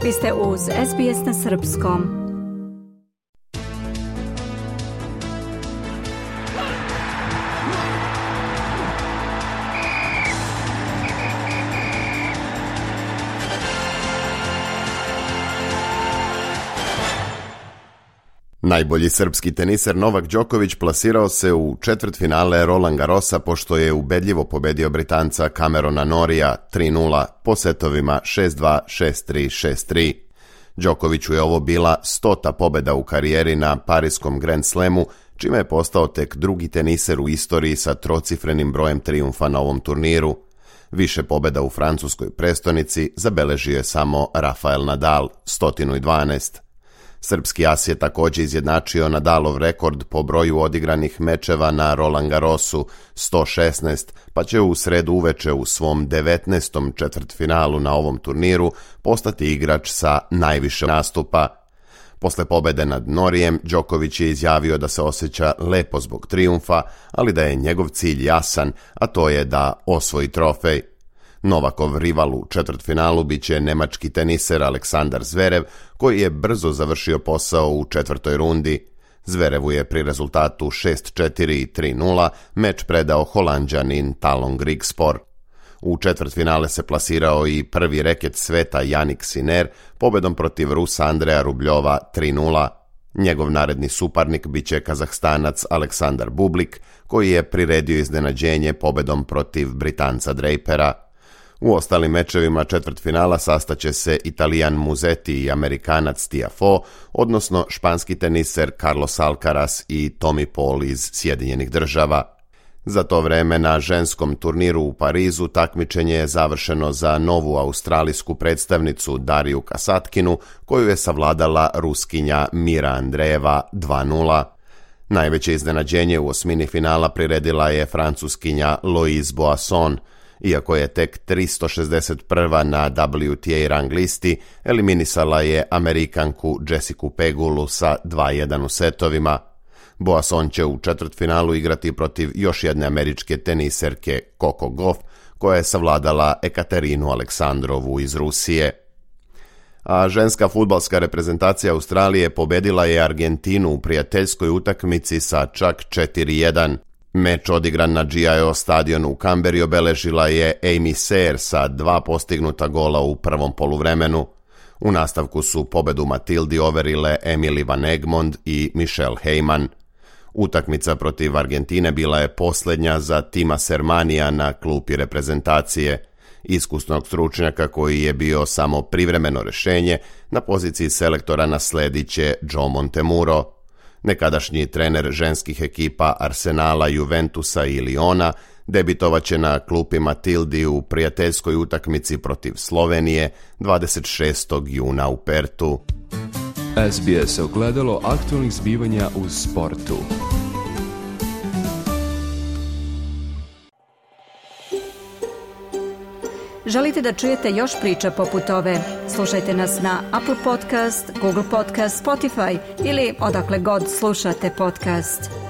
Vi ste uz SBS na srpskom. Najbolji srpski teniser Novak Đoković plasirao se u četvrtfinale Roland Garrosa pošto je ubedljivo pobedio Britanca Camerona Norrija 3-0 po setovima 6-2, 6-3, 6-3. Đokoviću je ovo bila 100. pobeda u karijeri na Pariskom Grand Slamu, čime je postao tek drugi teniser u istoriji sa trocifrenim brojem trijumfa na ovom turniru. Više pobeda u francuskoj prestonici zabeležio je samo Rafael Nadal, 112. Srpski as je također izjednačio Nadalov rekord po broju odigranih mečeva na Roland Garrosu 116, pa će u sredu uveče u svom 19. četvrtfinalu na ovom turniru postati igrač sa najviše nastupa. Posle pobede nad Norrijem, Đoković je izjavio da se osjeća lepo zbog trijumfa, ali da je njegov cilj jasan, a to je da osvoji trofej. Novakov rival u četvrtfinalu biće nemački teniser Aleksandar Zverev, koji je brzo završio posao u četvrtoj rundi. Zverevu je pri rezultatu 6-4 i 3-0 meč predao Holanđanin Talon Grigspor. U četvrtfinale se plasirao i prvi reket sveta Jannik Sinner pobedom protiv Rusa Andreja Rubljova 3-0. Njegov naredni suparnik biće Kazahstanac Aleksandar Bublik, koji je priredio iznenađenje pobedom protiv Britanca Drapera. U ostalim mečevima četvrtfinala sastaće se Italijan Musetti i Amerikanac Tiafoe, odnosno španski teniser Carlos Alcaraz i Tommy Paul iz Sjedinjenih Država. Za to vreme na ženskom turniru u Parizu takmičenje je završeno za novu australijsku predstavnicu Dariju Kasatkinu, koju je savladala Ruskinja Mira Andreeva 2-0. Najveće iznenađenje u osmini finala priredila je Francuskinja Louise Boisson. Iako je tek 361. na WTA rang listi, eliminisala je Amerikanku Jessicu Pegulu sa 2-1 u setovima. Boisson će u četvrtfinalu igrati protiv još jedne američke teniserke Coco Gauff, koja je savladala Ekaterinu Aleksandrovu iz Rusije. A ženska fudbalska reprezentacija Australije pobedila je Argentinu u prijateljskoj utakmici sa čak 4-1. Meč odigran na GIO stadionu u Kamberi obeležila je Amy Sayre sa 2 postignuta gola u prvom poluvremenu. U nastavku su pobedu Matildi overile Emily Van Egmond i Michelle Heyman. Utakmica protiv Argentine bila je posljednja za Tima Sermanija na klupi reprezentacije. Iskusnog stručnjaka koji je bio samo privremeno rješenje, na poziciji selektora nasledit će Joe Montemuro. Nekadašnji trener ženskih ekipa Arsenala, Juventusa i Liona debitovaće na klupi Matildi u prijateljskoj utakmici protiv Slovenije 26. juna u Pertu. SBS ogledalo aktualnih zbivanja u sportu. Želite da čujete još priča poput ove? Slušajte nas na Apple Podcast, Google Podcast, Spotify ili odakle god slušate podcast.